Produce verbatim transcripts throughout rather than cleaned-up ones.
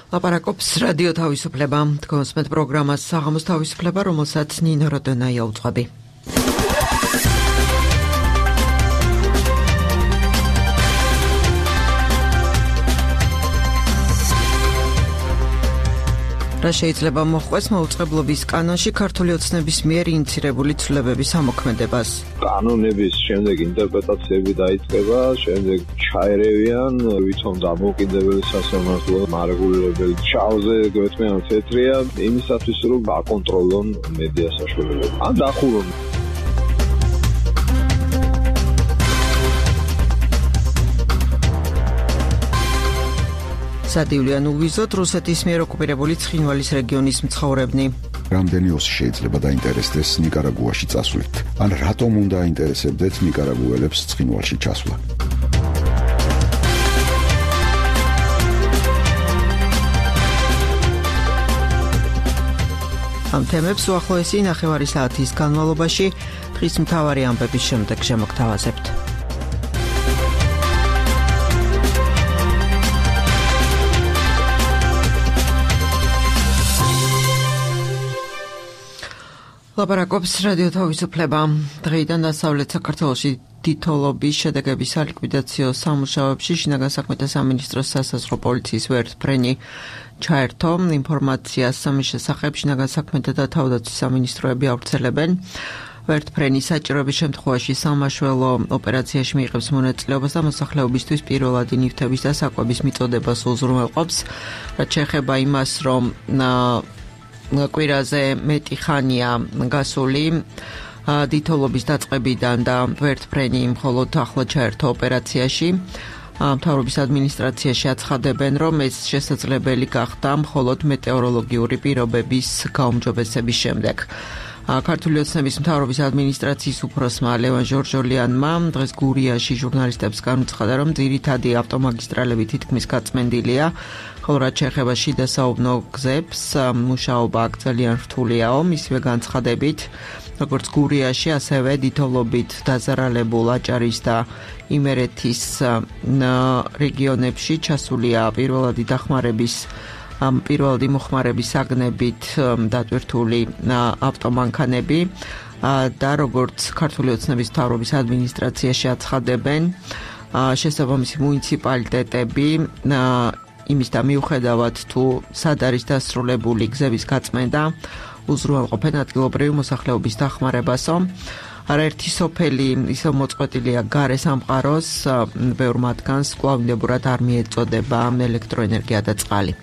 ლაპარაკობს რადიო თავისუფლება, თქვენს მეტ პროგრამას საღამოს თავისუფლება, რომელსაც ნინო როდონაია უძღვები. რა შეიძლება მოხდეს მოუწყებლობის კანონში ქართული ოცნების მიერ ინიცირებული ცვლილებების ამოქმედებას. კანონების შემდეგ ინტერპრეტაციები დაიწყება, შემდეგ ჩაერევიან, ვითომ დამოუკიდებელი სასამართლო მარეგულირებელი ჩავზე გვეთმიან თეთრია იმისათვის რომ აკონტროლონ მედია საშუალებები. ან დახურონ სადივლიან უვიზოთ რუსეთის მიერ ოკუპირებული ცხინვალის რეგიონის მცხოვრებნი. რამდენი ოსი შეიძლება დაინტერესდეს ნიკარაგუაში წასვლით? ან რატომ უნდა აინტერესებდეთ ნიკარაგუელებს ცხინვალში ჩასვლა? ამ თემებს უახლოესი ნახევარი საათის განმავლობაში დღის მთავარი ამბების შემდეგ შემოგთავაზებთ. ლაპარაკობს რადიო თავისუფლება. დღეიდან დასავლეთ საქართველოში თითოეულის შედეგების სალიკვიდაციო სამუშაოებში შინაგან საქმეთა სამინისტროს სასაზღვრო პოლიციის ვერტმფრენი ჩაერთო. ინფორმაციას ამის შესახებ შინაგან საქმეთა და თავდაცვის სამინისტროები ავრცელებენ. ვერტმფრენი საჭიროების შემთხვევაში სამაშველო ოპერაციაში მიიღებს მონაწილეობას და მოსახლეობისთვის პირველადი ნივთების და საკვების მიწოდებას უზრუნველყოფს. რაც შეეხება იმას, რომ კვირაზე მეტი ხანია გასული თითოეულის დაწყებიდან და ვერტმფრენი მხოლოდ ახლა ჩაერთო ოპერაციაში. მთავრობის ადმინისტრაციაში აცხადებენ, რომ ეს შესაძლებელი გახდა მხოლოდ მეტეოროლოგიური პირობების გაუმჯობესების შემდეგ. ქართული ოცნების მთავრობის ადმინისტრაციის უფროსმა ლევან ჟორჟოლიანმა დღეს გურიაში ჟურნალისტებს განუცხადა, რომ ძირითადი ავტომაგისტრალები თითქმის გაწმენდილია, ხოლო რაც შეეხება შიდა საუბნო გზებს, მუშაობა აქ ძალიან რთულიაო. მისივე განცხადებით, როგორც გურიაში, ასევე თითოეულობით დაზარალებულ აჭარის და იმერეთის რეგიონებში ჩასულია პირველადი დახმარების ამ პირველადი მოხმარების საგნებით დატვირთული ავტომანქანები და როგორც ქართული ოცნების მთავრობის ადმინისტრაციაში აცხადებენ, შესაბამისი მუნიციპალიტეტები იმის და მიუხედავად თუ სად არის დასრულებული გზების გაწმენდა, უზრუნველყოფენ ადგილობრივი მოსახლეობის დახმარებასო. არაერთი სოფელი ისევ მოწყვეტილია გარე სამყაროს, ბევრ მათგანს კვლავინდებურად არ მიეწოდება ელექტროენერგია და წყალი.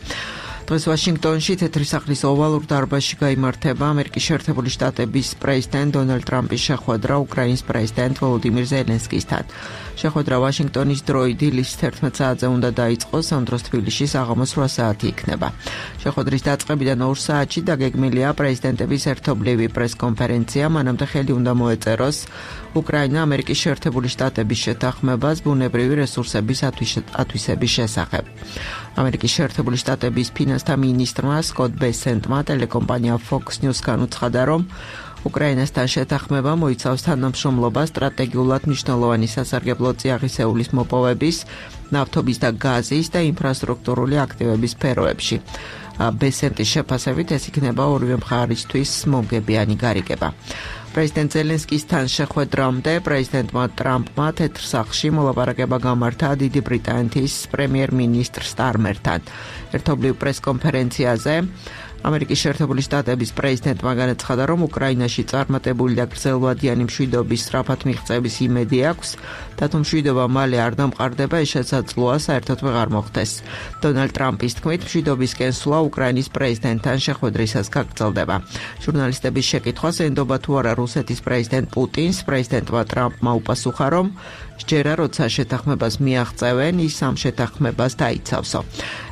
დღეს ვაშინგტონში თეთრი სახლის ოვალურ დარბაზში გაიმართება ამერიკის შეერთებული შტატების პრეზიდენტ დონალდ ტრამპის შეხვედრა უკრაინის პრეზიდენტ ვოლოდიმირ ზელენსკისთან. შეხვედრა ვაშინგტონის დროით დილის თერთმეტ საათზე უნდა დაიწყოს, ამ დროს თბილისში საღამოს რვა საათი იქნება. შეხვედრის დაწყებიდან ორ საათში დაგეგმილია პრეზიდენტების ერთობლივი პრესკონფერენცია, მანამდე ხელი უნდა მოეწეროს უკრაინა ამერიკის შეერთებული შტატების შეთანხმებას ბუნებრივი რესურსების ათვისების შესახებ. ამერიკის შეერთებული შტატების ფინანსთა მინისტრმა სკოტ ბესენტმა ტელეკომპანია Fox News განუცხადა, რომ უკრაინასთან შეთანხმება მოიცავს თანამშრომლობა სტრატეგიულად მნიშვნელოვანი სასარგებლო წიაღისეულის მოპოვების, ნავთობის და გაზის და ინფრასტრუქტურული აქტივების სფეროებში. ბესენტის შეფასებით ეს იქნება ორივე მხარისთვის მომგებიანი გარიგება. პრეზიდენტ ზელენსკისთან შეხვედრამდე პრეზიდენტმა ტრამპმა თეთრ სახლში მოლაპარაკება გამართა დიდი ბრიტანეთის პრემიერ-მინისტრ სტარმერთან. ერთობლივ პრესკონფერენციაზე ამერიკის შეერთებული შტატების პრეზიდენტმა განაცხადა, რომ უკრაინაში წარმატებული და გრძელვადიანი მშვიდობის სწრაფად მიღწევის იმედი აქვს და თუ მშვიდობა მალე არ დამყარდება, ეს შესაძლოა საერთოდ ვეღარ მოხდეს. დონალდ ტრამპის თქმით, მშვიდობისკენ სვლა უკრაინის პრეზიდენტთან შეხვედრისას გაგრძელდება. ჟურნალისტების შეკითხვას ენდობა თუ არა რუსეთის პრეზიდენტ პუტინს, პრეზიდენტმა ტრამპმა უპასუხა, რომ სჯერა როცა შეთანხმებას მიაღწევენ, ის ამ შეთანხმებას დაიცავსო.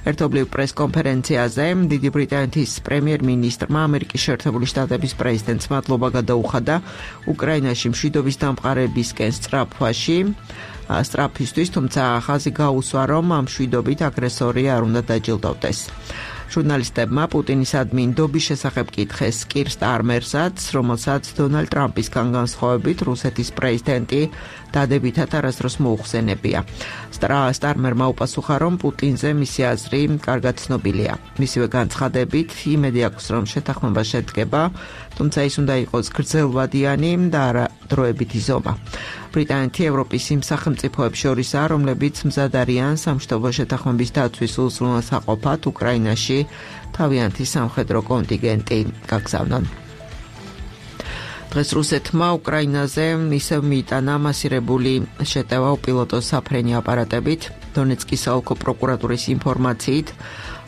ერთობლივ პრესკონფერენციაზე დიდი ბრიტანეთის პრემიერ-მინისტრმა ამერიკის შეერთებული შტატების პრეზიდენტს მადლობა გადაუხადა უკრაინაში მშვიდობის დამყარებისკენ სწრაფვაში, სწრაფისთვის, თუმცა ხაზი გაუსვა, რომ ამ მშვიდობით აგრესორი არ უნდა დაჯილდოვდეს. ჟურნალისტებმა პუტინისადმი ნდობის შესახებ კითხეს კირ სტარმერსაც, რომელსაც დონალდ ტრამპისგან განსხვავებით რუსეთის პრეზიდენტი დადებითად არასდროს მოუხსენებია. სტარმერმა უპასუხა, რომ პუტინზე მისი აზრი კარგად ცნობილია. მისივე განცხადებით იმედი აქვს, რომ შეთანხმება შედგება, თუმცა ის უნდა იყოს გრძელვადიანი და არა დროებითი ზომა. ბრიტანეთი ევროპის იმ სახელმწიფოებს შორისაა, რომლებიც მზად არიან სამშვიდობო შეთანხმების დაცვის უზრუნველსაყოფად უკრაინაში თავიანთი სამხედრო კონტინგენტი გაგზავნონ. დღეს რუსეთმა უკრაინაზე ისევ მიიტანა მასირებული შეტევა უპილოტო საფრენი აპარატებით. დონეცკის საოლქო პროკურატურის ინფორმაციით,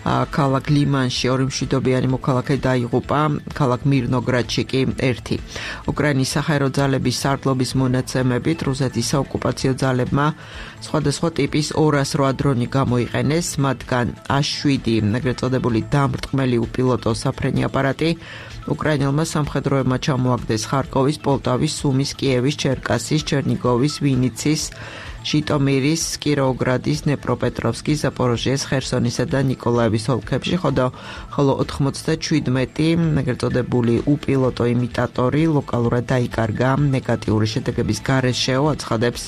ქალაქ ლიმანში ორი მშვიდობიანი მოქალაქე დაიღუპა, ქალაქ მირნოგრადში კი ერთი. უკრაინის საჰაერო ძალების სარდლობის მონაცემებით რუსეთის საოკუპაციო ძალებმა სხვადასხვა ტიპის ორას რვა დრონი გამოიყენეს, მათგან ას შვიდი ეგრეთ წოდებული დამრტყმელი უპილოტო საფრენი აპარატი უკრაინელმა სამხედროებმა ჩამოაგდეს ხარკოვის, პოლტავის, სუმის, კიევის, ჩერკასის, ჩერნიგოვის, ვინიცის, ჟიტომირის, კიროოგრადის, დნეპროპეტროვსკის, ზაპოროჟიეს, ხერსონისა და ნიკოლაევის ოლქებში, ხოლო ოთხმოცდაშვიდმეტი ეგრეთ წოდებული უპილოტო იმიტატორი ლოკალურად დაიკარგა. ნეგატიური შედეგების გარეშეო აცხადებს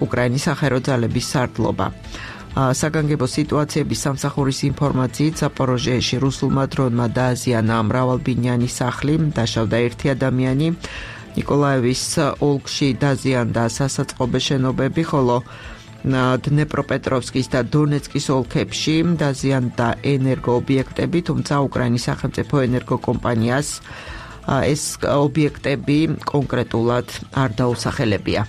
უკრაინის საჰაერო ძალების სარდლობა. საგანგებო სიტუაციების სამსახურის ინფორმაციით, ზაპოროჟიეში რუსულმა დრონმა დააზიანა მრავალბინიანი სახლი, დაშავდა ერთი ადამიანი. ნიკოლაევის ოლქში დაზიანდა სასაწყობე შენობები, ხოლო დნეპროპეტროვსკის და დონეცკის ოლქებში დაზიანდა ენერგოობიექტები, თუმცა უკრაინის სახელმწიფო ენერგოკომპანიას ეს ობიექტები კონკრეტულად არ დაუსახელებია.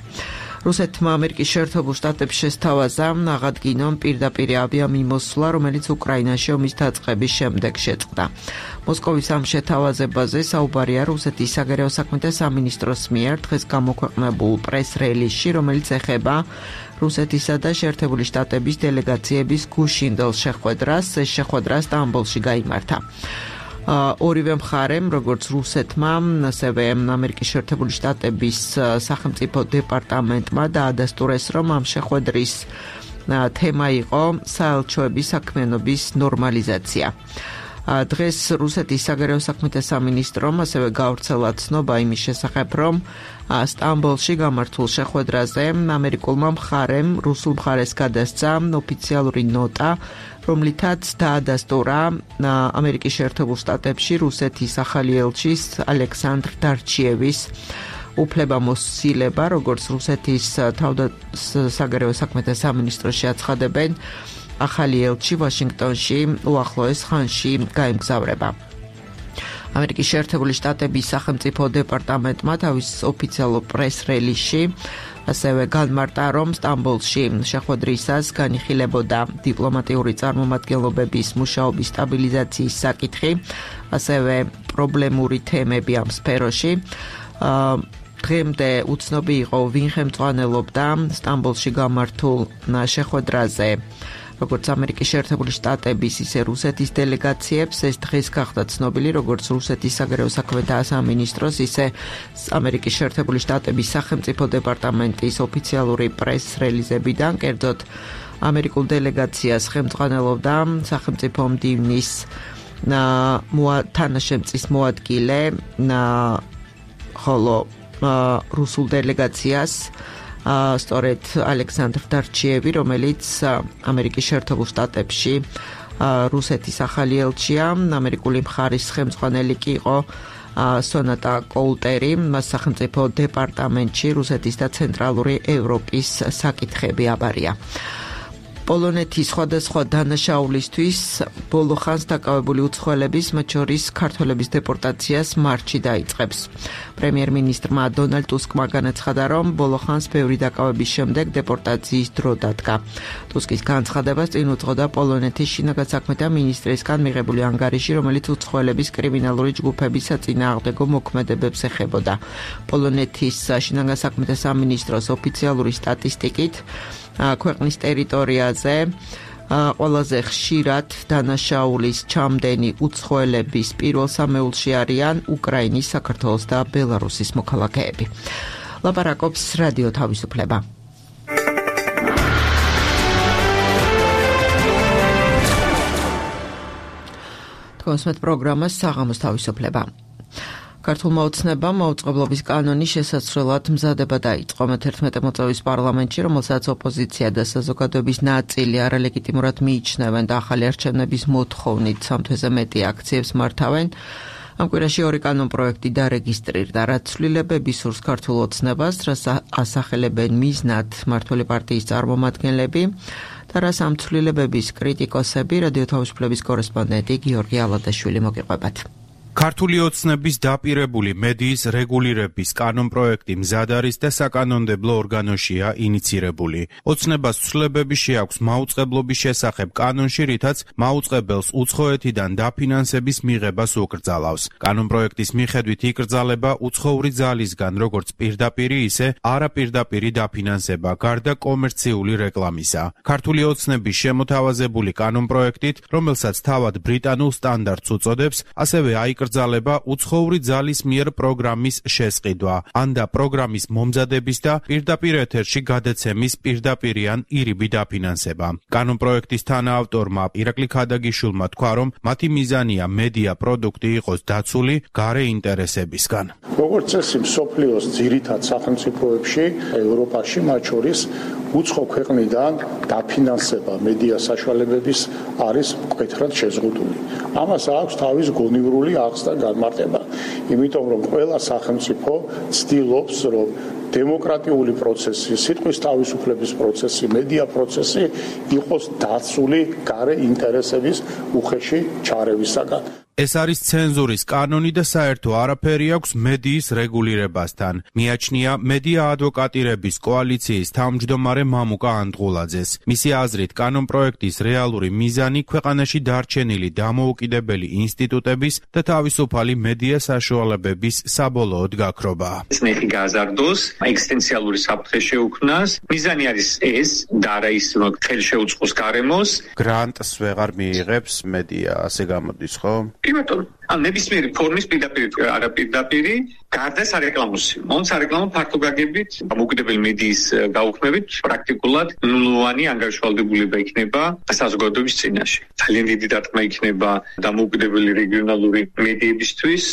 რუსეთმა ამერიკის შეერთებულ შტატებს შესთავაზა აღადგინონ პირდაპირ ავიამიმოსვლა, რომელიც უკრაინაში ომის დაწყების შემდეგ შეწყდა. მოსკოვის ამ შეთავაზებაზე საუბარია რუსეთის საგარეო საქმეთა სამინისტროს მიერ დღეს გამოქვეყნებულ პრეს-რელიზში, რომელიც ეხება რუსეთისა და შეერთებული შტატების დელეგაციების გუშინდელ შეხვედრას. ეს შეხვედრა სტამბოლში გაიმართა. ორივე მხარემ, როგორც რუსეთმა, ასევე ამერიკის შეერთებული შტატების სახელმწიფო დეპარტამენტმა დაადასტურეს, რომ ამ შეხვედრის თემა იყო საელჩოების საქმიანობის ნორმალიზაცია. დღეს რუსეთის საგარეო საქმეთა სამინისტრომ ასევე გავრცელა ცნობა იმის შესახებ, რომ სტამბოლში გამართულ შეხვედრაზე ამერიკულმა მხარემ რუსულ მხარეს გადასცა ოფიციალური ნოტა, რომლითაც დაადასტურა ამერიკის შეერთებულ შტატებში რუსეთის ახალი ელჩის ალექსანდრ დარჩიევის უფლებამოსილება, როგორც რუსეთის საგარეო საქმეთა სამინისტროში აცხადებენ, ახალი ელჩი ვაშინგტონში უახლოეს ხანში გაემგზავრება. ამერიკის შეერთებული შტატების სახელმწიფო დეპარტამენტმა თავის ოფიციალურ პრეს-რელიზში ასევე განმარტა, რომ სტამბოლში შეხვედრისას განიხილებოდა დიპლომატიური წარმომადგენლობების მუშაობის სტაბილიზაციის საკითხი, ასევე პრობლემური თემები ამ სფეროში. დღემდე უცნობი იყო, ვინ ხელმძღვანელობდა სტამბოლში გამართულ შეხვედრაზე როგორც ამერიკის შეერთებული შტატების, ისე რუსეთის დელეგაციებს. ეს დღეს გახდა ცნობილი, როგორც რუსეთის საგარეო საქმეთა სამინისტროს, ისე ამერიკის შეერთებული შტატების სახელმწიფო დეპარტამენტის ოფიციალური პრეს-რელიზებიდან. კერძოდ, ამერიკულ დელეგაციას ხელმძღვანელობდა სახელმწიფო მდივნის თანაშემწის მოადგილე, ხოლო რუსულ დელეგაციას სწორედ ალექსანდრ დარჩიევი, რომელიც ამერიკის შეერთებულ შტატებში რუსეთის ახალი ელჩია, ამერიკული მხარის ხელმძღვანელი კი იყო სონატა კოულტერი, მას სახელმწიფო დეპარტამენტში რუსეთის და ცენტრალური ევროპის საკითხები აბარია. პოლონეთის სხვადასხვა დანაშაულისთვის ბოლო ხანს დაკავებული უცხოელების, მათ შორის ქართველების დეპორტაციას მარტში დაიწყებს. პრემიერ-მინისტრმა დონალდ ტუსკმა განაცხადა, რომ ბოლო ხანს ბევრი დაკავების შემდეგ დეპორტაციის დრო დადგა. ტუსკის განცხადებას წინ უძღოდა პოლონეთის შინაგან საქმეთა მინისტრისგან მიღებული ანგარიში, რომელიც უცხოელების კრიმინალური ჯგუფების საწინააღმდეგო მოქმედებებს ეხებოდა. პოლონეთის შინაგან საქმეთა სამინისტროს ოფიციალური სტატისტიკით ქვეყნის ტერიტორიაზე ყველაზე ხშირად დანაშაულის ჩამდენი უცხოელების პირველ სამეულში არიან უკრაინის, საქართველოს და ბელარუსის მოქალაქეები. ლაპარაკობს რადიო თავისუფლება. თქვენსმეთ პროგრამას საღამოს თავისუფლება. ქართულმა ოცნებამ მაუწყებლობის კანონის შესაცვლელად მზადება დაიწყო. მეთერთმეტე მოწვევის პარლამენტში, რომელსაც ოპოზიცია და საზოგადოების ნაწილი არალეგიტიმურად მიიჩნევენ და ახალი არჩევნების მოთხოვნით სამ თვეზე მეტი აქციებს მართავენ, ამ კვირაში ორი კანონპროექტი დარეგისტრირდა, რაც ცვლილებები სურს ქართულ ოცნებას, რაც ასახელებენ მიზნად მმართველი პარტიის წარმომადგენლები და რაც ამ ცვლილებების კრიტიკოსები. რადიო თავისუფლების კორესპონდენტი გიორგი ალადაშვილი მოგიყვებათ. ქართული ოცნების დაპირებული მედიის რეგულირების კანონპროექტი მზად არის და საკანონმდებლო ორგანოშია ინიცირებული. ოცნებას ცვლილებები შეაქვს მაუწყებლობის შესახებ კანონში, რითაც მაუწყებელს უცხოეთიდან დაფინანსების მიღებას უკრძალავს. კანონპროექტის მიხედვით იკრძალება უცხოური ძალისგან როგორც პირდაპირი, ისე არაპირდაპირი დაფინანსება, გარდა კომერციული რეკლამისა. ქართული ოცნების შემოთავაზებული კანონპროექტით, რომელსაც თავად ბრიტანულ სტანდარტს უწოდებს, ასევე აიკრძალება გრძალება უცხოური ძალის მიერ პროგრამის შესყიდვა, ან და პროგრამის მომზადების და პირდაპირ ეთერში გადაცემის პირდაპირი ან ირიბი დაფინანსება. კანონპროექტის თანაავტორმა ირაკლი ქადაგიშვილმა თქვა, რომ მათი მიზანია მედია პროდუქტი იყოს დაცული გარე ინტერესებისგან. როგორც წესი, მსოფლიოს ძირითად სახელმწიფოებში, ევროპაში, მათ შორის უცხო ქვეყნიდან დაფინანსება მედია საშუალებების არის მკვეთრად შეზღუდული. ამას აქვს თავის გონივრული აღზრდა და განმარტება, იმიტომ რომ ყველა სახელმწიფო ცდილობს, რომ დემოკრატიული პროცესი, სიტყვის თავისუფლების პროცესი, მედია პროცესი იყოს დაცული გარე ინტერესების უხეში ჩარევისაგან. ეს არის ცენზურის კანონი და საერთო არაფერი აქვს მედიის რეგულირებასთან. მიაჩნია მედია ადვოკატირების კოალიციის თავმჯდომარე მამუკა ანდღულაძეს. მისი აზრით, კანონპროექტის რეალური მიზანი ქვეყანაში დარჩენილი დამოუკიდებელი ინსტიტუტების და თავისუფალი მედია საშუალებების საბოლოოდ გაქრობაა. ნეხი გაზარდოს, ექსისტენციალური საფრთხე შეუქმნას. მიზანი არის ეს და არა ის, რომ ხელი შეუწყოს გარემოს. გრანტს ვეღარ მიიღებს მედია, ასე გამოდის, ხო? იმიტომ ან ნებისმიერი ფორმის პირდაპირ არაპირდაპირი გარდა სარეკლამოსი. მონ სარეკლამო ფართო გაგებით დამოუკიდებელი მედიის გაუქმებით პრაქტიკულად ნულოვანი ანგარიშვალდებულება იქნება საზოგადოების წინაშე. ძალიან დიდი დარტყმა იქნება დამოუკიდებელი რეგიონალური მედიებისთვის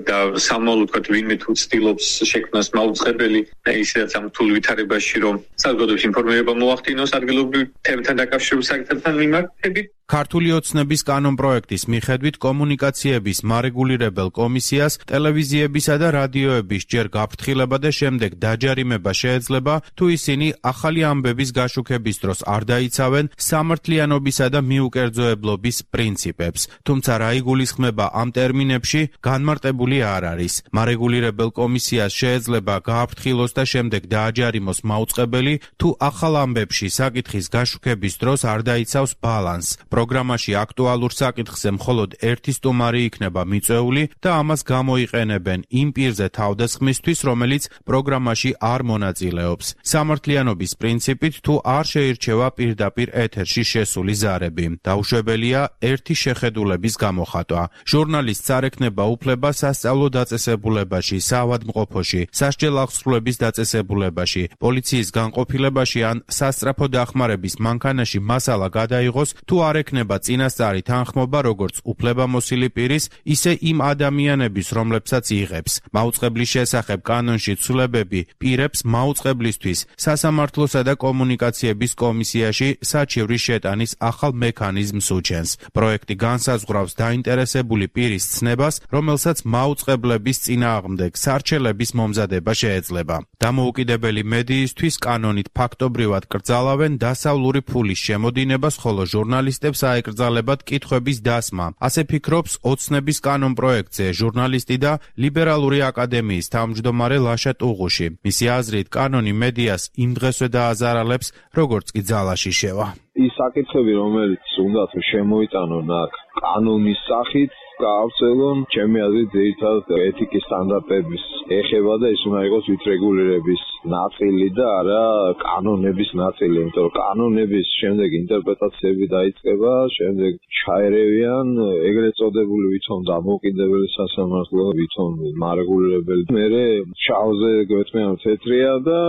და სამომავლოდ ვთქვათ, ვინმე თუ ცდილობს შექმნას მაუწყებელი ისედაც ამ რთულ ვითარებაში, რომ საზოგადოების ინფორმირება მოახდინოს ადგილობრივ თემებთან დაკავშირებულ საკითხებთან მიმართებით. ქართული ოცნების კანონპროექტის მიხედვით კომუნიკაციების მარეგულირებელ კომისიას ტელევიზიებისა და რადიოების ჯერ გაფრთხილება და შემდეგ დაჯარიმება შეეძლება, თუ ისინი ახალი ამბების გაშუქების დროს არ დაიცავენ სამართლიანობისა და მიუკერძოებლობის პრინციპებს. თუმცა რა იგულისხმება ამ ტერმინებში, განმარტებული არ არის. მარეგულირებელ კომისიას შეეძლება გააფრთხილოს და შემდეგ დააჯარიმოს მაუწყებელი, თუ ახალ ამბებში საკითხის გაშუქების დროს არ დაიცავს ბალანსს. პროგრამაში აქტუალურ საკითხზე მხოლოდ ერთი სტუმარი იქნება მიწვეული და ამას გამოიყენებენ იმ პირზე თავდასხმისთვის, რომელიც პროგრამაში არ მონაწილეობს. სამართლიანობის პრინციპით თუ არ შეირჩევა პირდაპირ ეთერში შესული ზარები. დაუშვებელია ერთი შეხედულების გამოხატვა. ჟურნალისტს არ ექნება უფლება სასწავლო დაწესებულებაში, საავადმყოფოში, სასჯელ აღსრულების დაწესებულებაში, პოლიციის განყოფილებაში ან სასწრაფო დახმარების მანქანაში მასალა გადაიღოს, თუ არ ექნება წინასწარი თანხმობა როგორც უფლებამოსილი პირის, ისე იმ ადამიანების, რომლებსაც იღებს. მაუწყებლის შესახებ კანონში ცვლილებები პირებს მაუწყებლისთვის სასამართლოსა და კომუნიკაციების კომისიაში საჩივრის შეტანის ახალ მექანიზმს უჩენს. პროექტი განსაზღვრავს დაინტერესებული პირის ცნებას, რომელსაც მაუწყებლების წინააღმდეგ სარჩელების მომზადება შეეძლება. დამოუკიდებელი მედიისთვის კანონით ფაქტობრივად კრძალავენ დასავლური ფულის შემოდინებას, ხოლო ჟურნალისტებს აეკრძალებათ კითხვების დასმა. ასე ფიქრობს ოცნების კანონპროექტზე ჟურნალისტი და ლიბერალური აკადემიის თავმჯდომარე ლაშა ტუღუში. მისი აზრით, კანონი მედიას იმ დღესვე დააზარალებს, როგორც კი ძალაში შევა. ის საკითხები, რომელიც უნდა შემოიტანონ აქ კანონის სახით, გაავრცელონ, ჩემი აზრით, ძირითადად ეთიკის სტანდარტების ეხება და ის უნდა იყოს ვითრეგულირების ნაწილი და არა კანონების ნაწილი, იმიტომ რომ კანონების შემდეგ ინტერპრეტაციები დაიწყება, შემდეგ ჩაერევიან ეგრეთ წოდებული ვითომ დამოუკიდებელი სასამართლო, ვითომ მარეგულირებელი. მერე შავზე გვეთმიან თეთრია და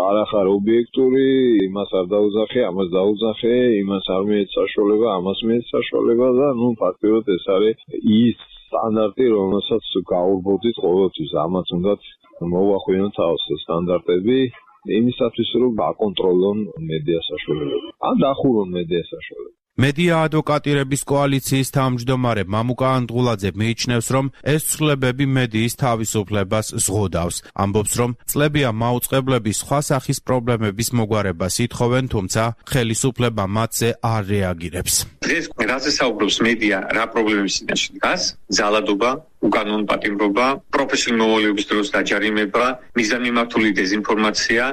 არახარ ობიექტური, იმას არ დაუძახე, ამას დაუძახე, იმას არ მიეც საშუალება, ამას მიეც საშუალება და ნუ ფაქტობრივად ეს არის ის სტანდარტი, რომელსაც გაურბოდით ყოველთვის. ამას უნდა მოვახვიოთ თავს სტანდარტები იმისათვის, რომ აკონტროლონ მედია საშუალებები. ან დახურონ მედია საშუალებები. მედია ადვოკატირების კოალიციის თავმჯდომარე მამუკა ანდღულაძე მიიჩნევს, რომ ეს ცვლილებები მედიის თავისუფლებას ზღუდავს. ამბობს, რომ წლებია მაუწყებლები სხვა სახის პრობლემების მოგვარებას ითხოვენ, თუმცა ხელისუფლება მათზე არ რეაგირებს. დღეს რაზე საუბრობს მედია, რა პრობლემების წინაშე დგას? ძალადობა, უკანონო პატიმრობა, პროფესიული მოვალეობის დროს დაჯარიმება, მიზანმიმართული დეზინფორმაცია,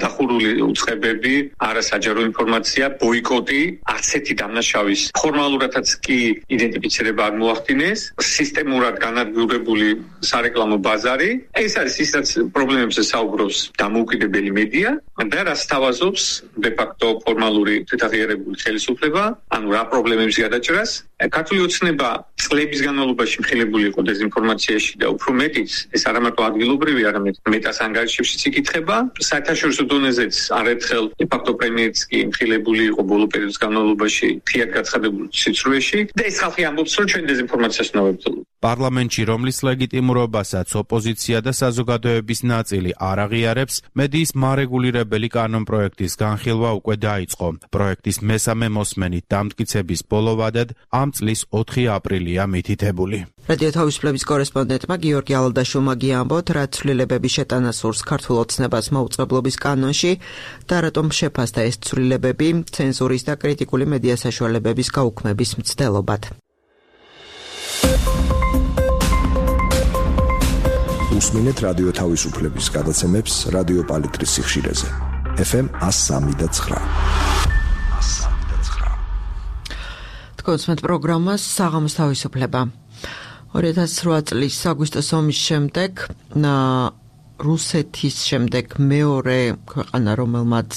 დახურული უწყებები, არასაჯარო ინფორმაცია, ბოიკოტი, ასეთი დამნაშავის ფორმალურადაც კი იდენტიფიცირება არ მოახდინეს, სისტემურად განადგურებული სარეკლამო ბაზარი. ეს არის ისაც პრობლემებზე საუბრობს დამოუკიდებელი მედია და რაც თავაზობს de facto ფორმალური თვითაღიარებული ხელისუფლება, ანუ რა პრობლემების გადაჭრას. ქართული ოცნება წლების განმავლობაში მხილებული იყო დეზინფორმაციაში და უფრო მეტიც, ეს არა მარტო ადგილობრივი, არამედ მეტას ანგარიშებშიც იკითხება. საერთაშორისო დონეზეც არაერთხელ de facto პრემიერიც კი მხილებული იყო ბოლო პერიოდის განმავლობაში ფრიად გაცხადებულ სიცრუეში და ეს ხალხი ამბობს, რომ ჩვენ დეზინფორმაციას უნდა ვებრძოლოთ. პარლამენტში, რომლის ლეგიტიმურობასაც ოპოზიცია და საზოგადოების ნაწილი არ აღიარებს, მედიის მარეგულირებელი კანონპროექტის განხილვა უკვე დაიწყო. პროექტის მესამე მოსმენით დამტკიცების ბოლო ვადად ამ წლის ოთხი აპრილია მითითებული. რადიო თავისუფლების კორესპონდენტმა გიორგი ალადაშვილმა გიამბოთ, რა ცვლილებები შეტანა სურს ქართულ ოცნებას მაუწყებლობის კანონში და რატომ შეფასდა ეს ცვლილებები ცენზურის და კრიტიკული მედია საშუალებების გაუქმების მცდელობად. უსმინეთ რადიო თავისუფლების გადაცემებს რადიო პალიტრის სიხშირეზე ეფ ემ one oh three point nine. თქვენს პროგრამას საღამოს თავისუფლება. ორი ათას რვა წლის აგვისტოს ომის შემდეგ რუსეთის შემდეგ მეორე ქვეყანა, რომელმაც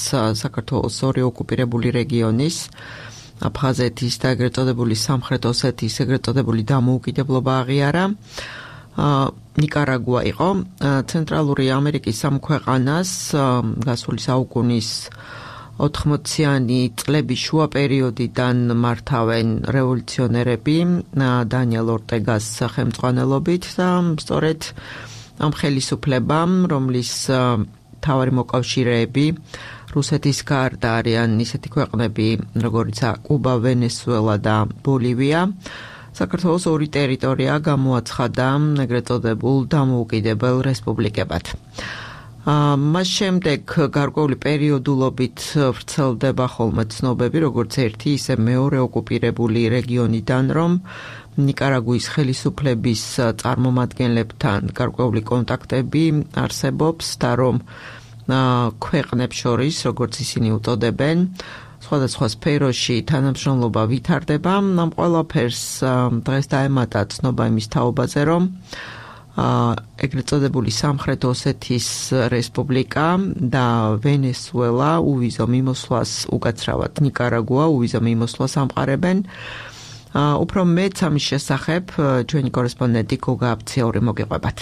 საქართველოს ორი ოკუპირებული რეგიონის აფხაზეთის და ეგრეთ წოდებული სამხრეთ ოსეთის ეგრეთ წოდებული დამოუკიდებლობა აღიარა. ნიკარაგუა იყო. ცენტრალური ამერიკის ამ ქვეყანას გასული საუკუნის ოთხმოციანი წლების შუა პერიოდიდან მართავენ რევოლუციონერები დანიელ ორტეგას სახელმძღვანელობით და სწორედ ამ ხელისუფლებამ, რომლის მთავარი მოკავშირეები რუსეთის გარდა არიან ისეთი ქვეყნები, როგორიცაა კუბა, ვენესუელა და ბოლივია, საქართველოს ორი ტერიტორია გამოაცხადა ეგრეთ წოდებულ დამოუკიდებელ რესპუბლიკებად. მას შემდეგ გარკვეული პერიოდულობით ვრცელდება ხოლმე ცნობები, როგორც ერთი, ისე მეორე ოკუპირებული რეგიონიდან, რომ ნიკარაგუის ხელისუფლების წარმომადგენლებთან გარკვეული კონტაქტები არსებობს და რომ ქვეყნებს შორის, როგორც ისინი უწოდებენ, სხვადასხვა სფეროში თანამშრომლობა ვითარდება. ამ ყველაფერს დღეს დაემატა ცნობა იმის თაობაზე, რომ ეგრეთ წოდებული სამხრეთ ოსეთის რესპუბლიკა და ვენესუელა უვიზო მიმოსვლას უკაცრავად ნიკარაგუა უვიზო მიმოსვლას ამყარებენ. უფრო მეც ამის შესახებ ჩვენი კორესპონდენტი გოგა აფციური მოგიყვებათ.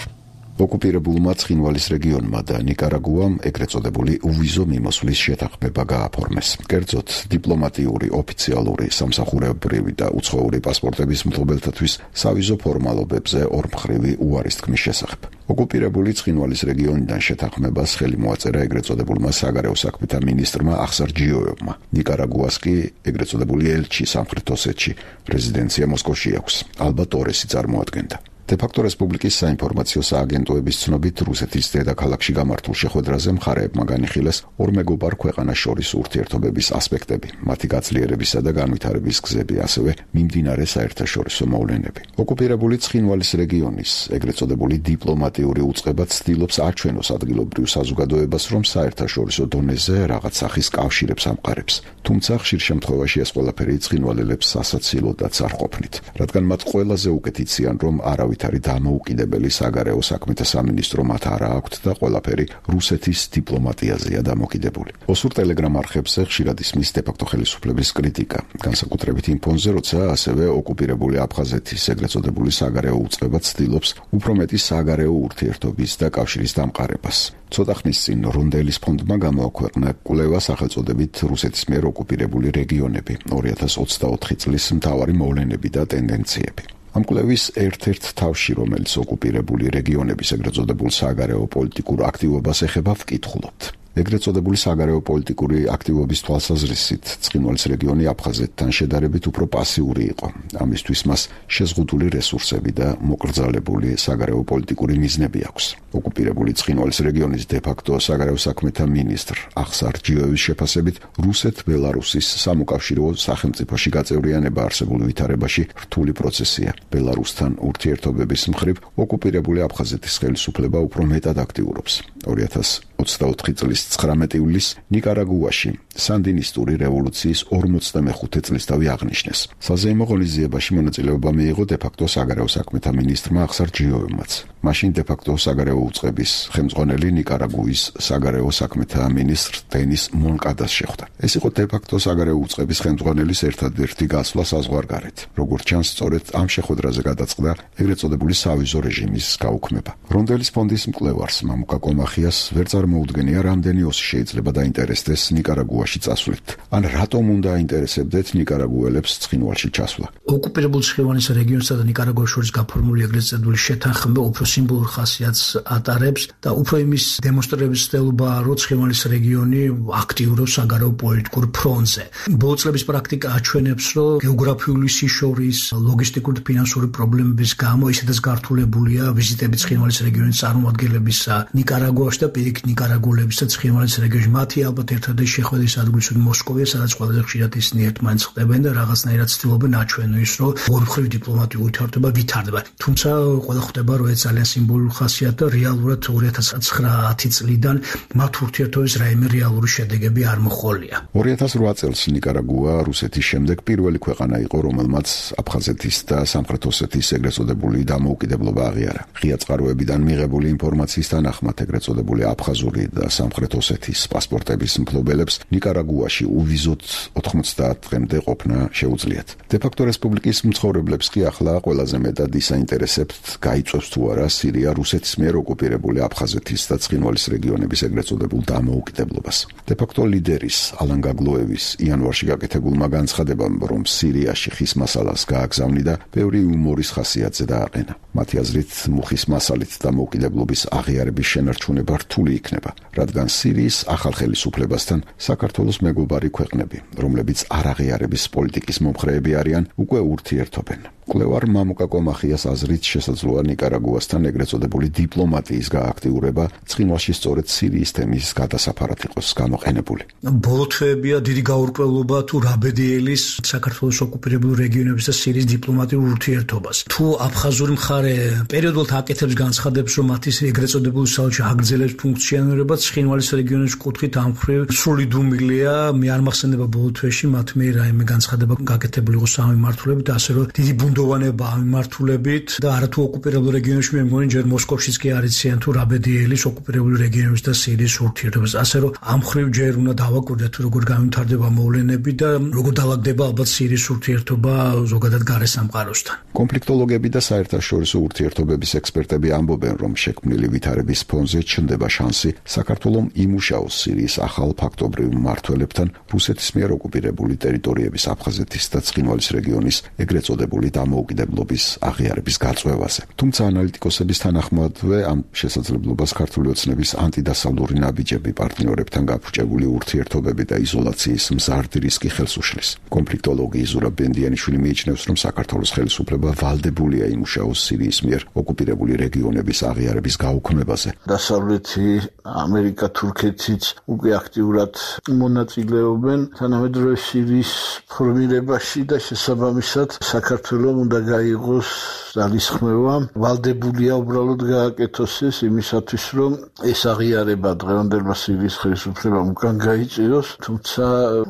ოკუპირებულმა ცხინვალის რეგიონმა და ნიკარაგუამ ეგრეთ წოდებული უვიზო მიმოსვლის შეთანხმება გააფორმეს. კერძოდ, დიპლომატიური, ოფიციალური, სამსახურებრივი და უცხოური პასპორტების მფლობელთათვის სავიზო ფორმალობებზე ორმხრივი უარის თქმის შესახებ. ოკუპირებული ცხინვალის რეგიონიდან შეთანხმებას ხელი მოაწერა ეგრეთ წოდებულმა საგარეო საქმეთა მინისტრმა ახსარ ჯიოევმა. ნიკარაგუას კი ეგრეთ წოდებული ელჩი სამხრეთ ოსეთში, რეზიდენცია მოსკოვში აქვს. ალბა ტორესი წარმოადგენდა. დე-ფაქტო რესპუბლიკის საინფორმაციო სააგენტოების ცნობით, რუსეთის დედაქალაქში გამართულ შეხვედრაზე მხარეებმა განიხილეს ორ მეგობარ ქვეყანას შორის ურთიერთობების ასპექტები, მათი გაძლიერებისა და განვითარების გზები, ასევე მიმდინარე საერთაშორისო მოვლენები. ოკუპირებული ცხინვალის რეგიონის ეგრეთ წოდებული დიპლომატიური უწყება ცდილობს აჩვენოს ადგილობრივ საზოგადოებას, რომ საერთაშორისო დონეზე რაღაც სახის კავშირებს ამყარებს. თუმცა ხშირ შემთხვევაში ეს ყველაფერი ცხინვალელებს სასაცილოდაც არ ყოფნით, რადგან მათ ყველაზე უკეთ იციან, რომ არავის ამჟამად არის დამოუკიდებელი საგარეო საქმეთა სამინისტრო, მათ არა აქვთ და ყველაფერი რუსეთის დიპლომატიაზეა დამოკიდებული. ოსურ ტელეგრამ არხებზე ხშირად ისმის დე-ფაქტო ხელისუფლების კრიტიკა, განსაკუთრებით იმ ფონზე, როცა ასევე ოკუპირებული აფხაზეთის ეგრეთ წოდებული საგარეო უწყება ცდილობს უფრო მეტი საგარეო ურთიერთობის და კავშირის დამყარებას. ცოტა ხნის წინ რონდელის ფონდმა გამოაქვეყნა კვლევა სახელწოდებით რუსეთის მიერ ოკუპირებული რეგიონები ორი ათას ოცდაოთხი წლის მთავარი მოვლენები და ტენდენციები. ამ კვლევის ერთ-ერთ თავში, რომელიც ოკუპირებული რეგიონების ეგრეთ წოდებულ საგარეო პოლიტიკურ აქტივობას ეხება, ვკითხულობთ. ეგრეთ წოდებული საგარეო პოლიტიკური აქტივობის თვალსაზრისით ცხინვალის რეგიონი აფხაზეთთან შედარებით უფრო პასიური იყო. ამისთვის მას შეზღუდული რესურსები და მოკრძალებული საგარეო პოლიტიკური მიზნები აქვს. ოკუპირებული ცხინვალის რეგიონის დე-ფაქტო საგარეო საქმეთა მინისტრ ახსარ ჯიოევის შეფასებით, რუსეთ-ბელარუსის სამოკავშირო სახელმწიფოში გაწევრიანება არსებულ ვითარებაში რთული პროცესია. ბელარუსთან ურთიერთობების მხრივ ოკუპირებული აფხაზეთის ხელისუფლება უფრო მეტად აქტიურობს. ორი ათას ოცდაოთხი წლის ცხრამეტი ივლისს ნიკარაგუაში სანდინისტური რევოლუციის ორმოცდამეხუთე წლისთავი აღნიშნეს. საზეიმო ღონისძიებაში მონაწილეობა მიიღო დე-ფაქტო საგარეო საქმეთა მინისტრმა ახსარ ჯიოევმაც. მაშინ დე-ფაქტო საგარეო უწყების ხელმძღვანელი ნიკარაგუის საგარეო საქმეთა მინისტრ დენის მონკადას შეხვდა. ეს იყო დე-ფაქტო საგარეო უწყების ხელმძღვანელის ერთადერთი გასვლა საზღვარგარეთ. როგორც ჩანს, სწორედ ამ შეხვედრაზე გადაწყდა ეგრეთ წოდებული სავიზო რეჟიმის გაუქმება. რონდელის ფონდის მკვლევარს მამუკა კომახიას ვერ წარმოუდგენია, რამდენი ოსი შეიძლება დაინტერესდეს ნიკარაგუაში წასვლით. ან რატომ უნდა აინტერესებდეთ ნიკარაგუელებს ცხინვალში ჩასვლა. ოკუპირებულ ცხინვალის რეგიონსა და ნიკარაგუას შორის გაფორმებული ეგრეთ წოდებული შეთანხმება უფრო სიმბოლურ ხასიათს ატარებს და უფრო იმის დემონსტრირების ცდილობაა, რომ ცხინვალის რეგიონი აქტიურობს საგარეო პოლიტიკურ ფრონტზე. ბოლო წლების პრაქტიკა აჩვენებს, რომ გეოგრაფიული სიშორის, ლოგისტიკური და ფინანსური პრობლემების გამო ისედაც გართულებულია ვიზიტები ცხინვალის რეგიონის წარმომადგენლების ნიკარაგუაში და პირიქით ნიკარაგუელების და ცხინვალის რეგიონში. მათი ალბათ ერთადერთი შეხვედრის ადგილი მოსკოვია, სადაც ყველაზე ხშირად ისინი ერთმანეთს ხდებენ და რაღაცნაირად ცდილობენ აჩვენონ ის, რომ ორი დიპლომატიური ურთიერთობა ვითარდება. თუმცა ყველა ხვდება, რომ ეს ძალიან სიმბოლური ხასიათი და რეალურად ორი ათას ცხრაათი წლიდან მათ ურთიერთობის რაიმე რეალური შედეგები არ მოჰყოლია. ორი ათას რვა წელს ნიკარაგუა რუსეთის შემდეგ პირველი ქვეყანა იყო, რომელმაც აფხაზეთის და სამხრეთ ოსეთის ეგრეთ წოდებული დამოუკიდებლობა აღიარა. ღია წყაროებიდან მიღებული ინფორმაციის თანახმად ეგრეთ წოდებული აფხაზური და სამხრეთ ოსეთის პასპორტების მფლობელებს ნიკარაგუაში უვიზოთ ოთხმოცდაათ დღემდე ყოფნა შეუძლიათ. დე-ფაქტო რესპუბლიკის მცხოვრებლებს კი ახლა ყველაზე მეტად ისაინტერესებთ, გაიწვევს თუ არა სირია რუსეთის მიერ ოკუპირებული აფხაზეთის და ცხინვალის რეგიონების ეგრეთ წოდებულ დამოუკიდებლობას. დე-ფაქტო ლიდერის ალან გაგლოევის იანვარში გაკეთებულმა განცხადებამ, რომ სირიაში ხის მასალას გააგზავნი და ბევრი იუმორის ხასიათზე დააყენა. მათი აზრით, მუხის მასალით დამოუკიდებლობის აღიარების შენარჩუნება რთული იქნება, რადგან სირიის ახალ ხელისუფლებასთან საქართველოს მეგობარი ქვეყნები, რომლებიც არაღიარების პოლიტიკის მომხრეები არიან, უკვე ურთიერთობენ. კვლევარ მამუკა კომახიას აზრით შესაძლოა ნიკარაგუასთან ეგრეთ წოდებული დიპლომატიის გააქტიურება ცხინვალში სწორედ სირიის თემის გადასაფარად იყოს გამოყენებული. ბოლო თვეებია დიდი გაურკვევლობა თუ რა ბედიელის საქართველოს ოკუპირებულ რეგიონების და სირიის დიპლომატიურ ურთიერთობას. თუ აფხაზური მხარე პერიოდულად აკეთებს განცხადებს, რომ მათი ეგრეთ წოდებული საელჩო აგრძელებს ფუნქციონირებას, ცხინვალის რეგიონის კუთხით ამ მხრივ სრული დუმილია. მე არ მახსენდება ბოლო თვეში მათ მე რაიმე განცხადება გაკეთებული იყო სამმართველოებით, ასე რომ დიდი ბუნდოვანება ამ მიმართულებით და არათუ ოკუპირებულ რეგიონებში მე მგონი ჯერ მოსკოვშიც კი არ იციან თუ რა ბედიელის ოკუპირებული რეგიონების და სირიის ურთიერთობას. ასე რომ ამ მხრივ ჯერ უნდა დავაკვირდეთ თუ როგორ გამვითარდება მოვლენები და როგორ დაალაგდება ალბათ სირიის ურთიერთობა ზოგადად გარე სამყაროსთან. კონფლიქტოლოგები და საერთაშორისო ურთიერთობების ექსპერტები ამბობენ, რომ შექმნილი ვითარების ფონზე ჩნდება შანსი საქართველოს იმუშაოს სირიის ახალ ფაქტობრივ მმართველებთან რუსეთის მიერ ოკუპირებული ტერიტორიების აფხაზეთის და ცხინვალის რეგიონის ეგრეთ წოდებული დამოუკიდებლობის აღიარების გაწევაზე. თუმცა ანალიტიკოსების თანახმადვე ამ შესაძლებლობას ქართული ოცნების ანტიდასავლური ნაბიჯები პარტნიორებთან გაფუჭებული ურთიერთობები და იზოლაციის მზარდი რისკი ხელს უშლის. კონფლიქტოლოგი ზურაბ ბენდიანიშვილი მიიჩნევს, რომ საქართველოს ხელისუფლება ვალდებულია იმუშაოს სირიის მიერ ოკუპირებული რეგიონების აღიარების გაუქმებაზე. დასავლეთი ამერიკა, თურქეთიც უკვე აქტიურად მონაწილეობენ თანამედროვე სირიის ფორმირებაში და შესაბამისად საქართველოს რომ უნდა გაიღოს ძალისხმევა, ვალდებულია უბრალოდ გააკეთოს ეს იმისათვის, რომ ეს აღიარება დღევანდელმა სირიის ხელისუფლებამ უკან გაიწიოს, თუმცა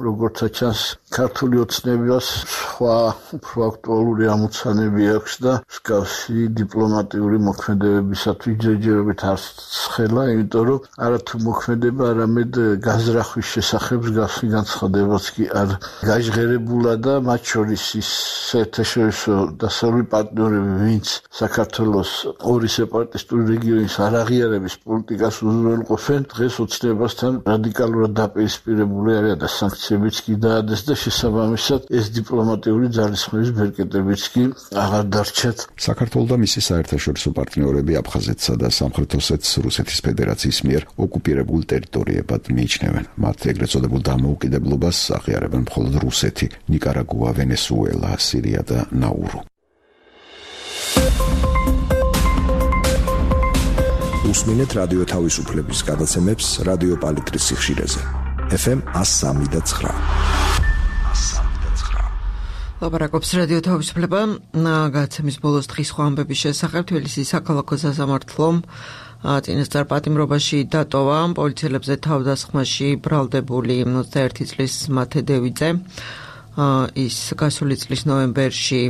როგორც ჩანს, ქართული ოცნებას სხვა უფრო აქტუალური ამოცანები აქვს და მსგავსი დიპლომატიური მოქმედებებისათვის ჯერჯერობით არ ცხელა, იმიტომ რომ არათუ მოქმედება, არამედ გაზრახვის შესახებ მსგავსი განცხადებაც კი არ გაჟღერებულა და მათ შორის ის საერთაშორისო დასავლური პარტნიორები, ვინც საქართველოს ორი სეპარატისტული რეგიონის არაღიარების პოლიტიკას უზრუნველყოფენ, დღეს ოცნებასთან რადიკალურად დაპირისპირებული არიან და სანქციებიც კი დაადეს და შესაბამისად ეს დიპლომატიური ძალისხმევის ბერკეტებიც კი აღარ დარჩათ. საქართველოს და მისი საერთაშორისო პარტნიორები აფხაზეთსა და სამხრეთ ოსეთს რუსეთის ფედერაციის მიერ ოკუპირებულ ტერიტორიებად მიიჩნევენ. მათ ეგრეთ წოდებულ დამოუკიდებლობას აღიარებენ მხოლოდ რუსეთი, ნიკარაგუა, ვენესუელა, სირია და ნაურუ. უსმინეთ რადიო თავისუფლების გადაცემებს რადიო პალიტრის სიხშირეზე. ეფ ემ one oh three point nine. ლაპარაკობს რადიო თავისუფლება. გადაცემის ბოლოს დღის სხვა ამბების შესახებ თბილისის საქალაქო სასამართლომ წინასწარ პატიმრობაში დატოვა პოლიციელებზე თავდასხმაში ბრალდებული ოცდაერთი წლის მათე დევიძე. ის გასული წლის ნოემბერში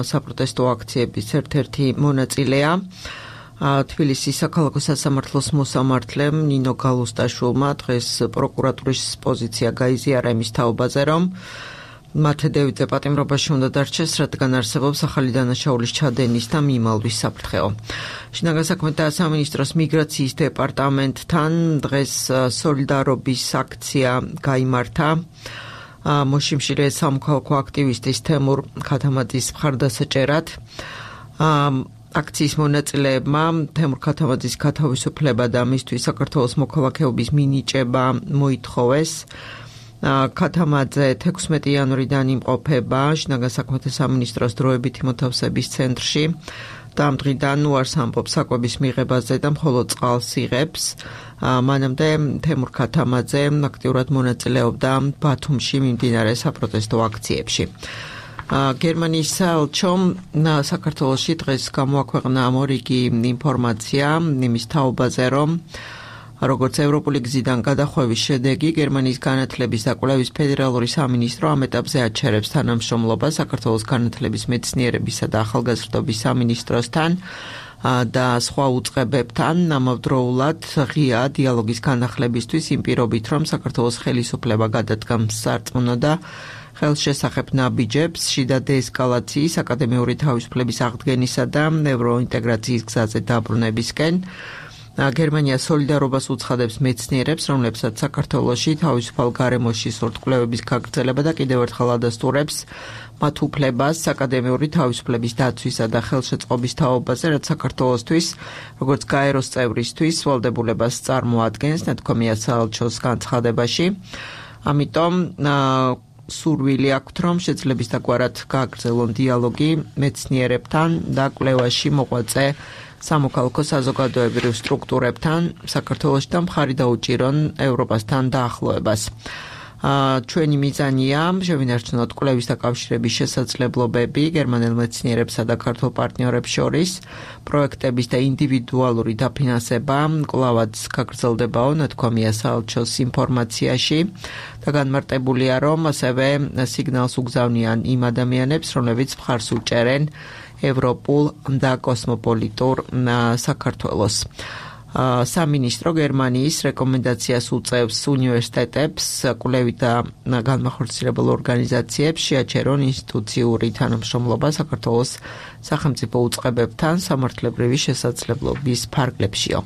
საპროტესტო აქციების ერთ-ერთი მონაწილეა. თბილისის საქალაქო სასამართლოს მოსამართლემ ნინო გალუსტაშვილმა დღეს პროკურატურის პოზიცია გაიზიარა იმის თაობაზე, რომ მათე დევიძე პატიმრობაში უნდა დარჩეს, რადგან არსებობს ახალი დანაშაულის ჩადენის და მიმალვის საფრთხეო. შინაგან საქმეთა სამინისტროს მიგრაციის დეპარტამენტთან დღეს სოლიდარობის აქცია გაიმართა. მოშიმშილე სამოქალაქო აქტივისტის თემურ ქათამაძის მხარდასაჭერად. აქციის მონაწილეებმა თემურ ქათამაძის გათავისუფლება და მისთვის საქართველოს მოქალაქეობის მინიჭება მოითხოვეს. ქათამაძე თექვსმეტი იანვრიდან იმყოფება შინაგან საქმეთა სამინისტროს დროებითი მოთავსების ცენტრში და ამ დღიდან უარს ამბობს საკვების მიღებაზე და მხოლოდ წყალს იღებს. მანამდე თემურ ქათამაძე აქტიურად მონაწილეობდა ბათუმში მიმდინარე საპროტესტო აქციებში. გერმანიის საელჩომ საქართველოში დღეს გამოაქვეყნა მორიგი ინფორმაცია იმის თაობაზე, რომ როგორც ევროპული გზიდან გადახვევის შედეგი, გერმანიის განათლების და კვლევის ფედერალური სამინისტრო ამ ეტაპზე აჩერებს თანამშრომლობას საქართველოს განათლების მეცნიერებისა და ახალგაზრდობის სამინისტროსთან და სხვა უწყებებთან, ამავდროულად ღია დიალოგის განახლებისთვის იმ პირობით, რომ საქართველოს ხელისუფლება გადადგამს სარწმუნო და ხელშესახებ ნაბიჯებს შიდა დეესკალაციის, აკადემიური თავისუფლების აღდგენისა და ევროინტეგრაციის გზაზე დაბრუნებისკენ. გერმანია სოლიდარობას უცხადებს მეცნიერებს, რომლებსაც საქართველოში თავისუფალ გარემოში სურთ კვლევების გაგრძელება და კიდევ ერთხელ ადასტურებს მათ უფლებას აკადემიური თავისუფლების დაცვისა და ხელშეწყობის თაობაზე, რაც საქართველოსთვის, როგორც გაეროს წევრისთვის, ვალდებულებას წარმოადგენს, ნათქვამია საელჩოს განცხადებაში. ამიტომ სურვილი აქვთ, რომ შეძლების დაგვარად გააგრძელონ დიალოგი მეცნიერებთან და კვლევაში მოღვაწე სამოქალაქო საზოგადოებრივ სტრუქტურებთან საქართველოში და მხარი დაუჭირონ ევროპასთან დაახლოებას. ჩვენი მიზანია შევინარჩუნოთ კვლევის და კავშირების შესაძლებლობები გერმანელ მეცნიერებსა და ქართულ პარტნიორებს შორის, პროექტების და ინდივიდუალური დაფინანსება კვლავაც გაგრძელდებაო, ნათქვამია საელჩოს ინფორმაციაში და განმარტებულია, რომ ასევე სიგნალს უგზავნიან იმ ადამიანებს, რომლებიც მხარს უჭერენ ევროპულ და კოსმოპოლიტურ საქართველოს. სამინისტრო გერმანიის რეკომენდაციას უწევს უნივერსიტეტებს, კვლევით და განმახორციელებელ ორგანიზაციებს შეაჩერონ ინსტიტუციური თანამშრომლობა საქართველოს სახელმწიფო უწყებებთან სამართლებრივი შესაძლებლობის ფარგლებშიო.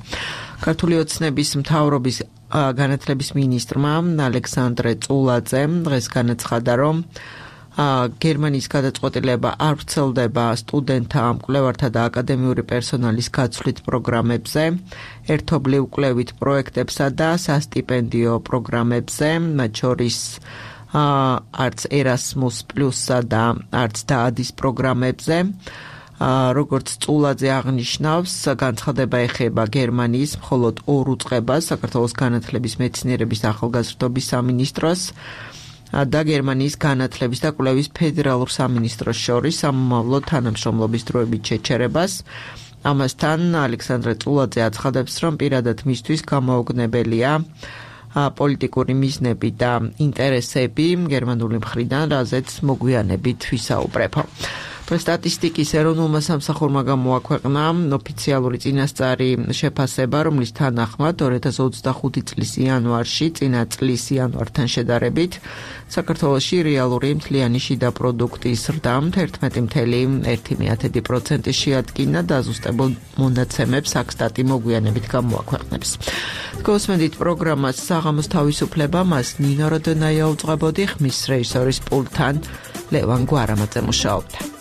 ქართული ოცნების მთავრობის განათლების მინისტრმა ალექსანდრე წულაძემ დღეს განაცხადა, რომ გერმანიის გადაწყვეტილება არ ვრცელდება სტუდენტთა, მკვლევართა და აკადემიური პერსონალის გაცვლით პროგრამებზე, ერთობლივ კვლევით პროექტებსა და სასტიპენდიო პროგრამებზე, მათ შორის არც ერასმუს პლუსსა და არც დაადის პროგრამებზე. როგორც წულაძე აღნიშნავს, განცხადება ეხება გერმანიის მხოლოდ ორ უწყებას, საქართველოს განათლების მეცნიერების და ახალგაზრდობის სამინისტროს, და გერმანიის განათლების და კვლევის ფედერალურ სამინისტროს შორის სამომავლო თანამშრომლობის დროებით შეჩერებას. ამასთან ალექსანდრე წულაძე აცხადებს, რომ პირადად მისთვის გამოუგნებელია პოლიტიკური მიზნები და ინტერესები გერმანული მხრიდან, რაზეც მოგვიანებით ვისაუბრებო. სტატისტიკის ეროვნულმა სამსახურმა გამოაქვეყნა ოფიციალური წინასწარი შეფასება, რომლის თანახმად ორი ათას ოცდახუთი წლის იანვარში წინა წლის იანვართან შედარებით საქართველოში რეალური მთლიანი შიდა პროდუქტის ზრდა ერთმეტი целых ერთი პროცენტი შეადგინა და ზუსტებულ მონაცემებს აკსტატი მოგვიანებით გამოაქვეყნებს. გოსმენდით პროგრამას საღამოს თავისუფლება მას ნინო როდონაია უძღვებოდი, ხმის რეჟისორის პულტთან ლევან გვარამაძე მუშაობდა.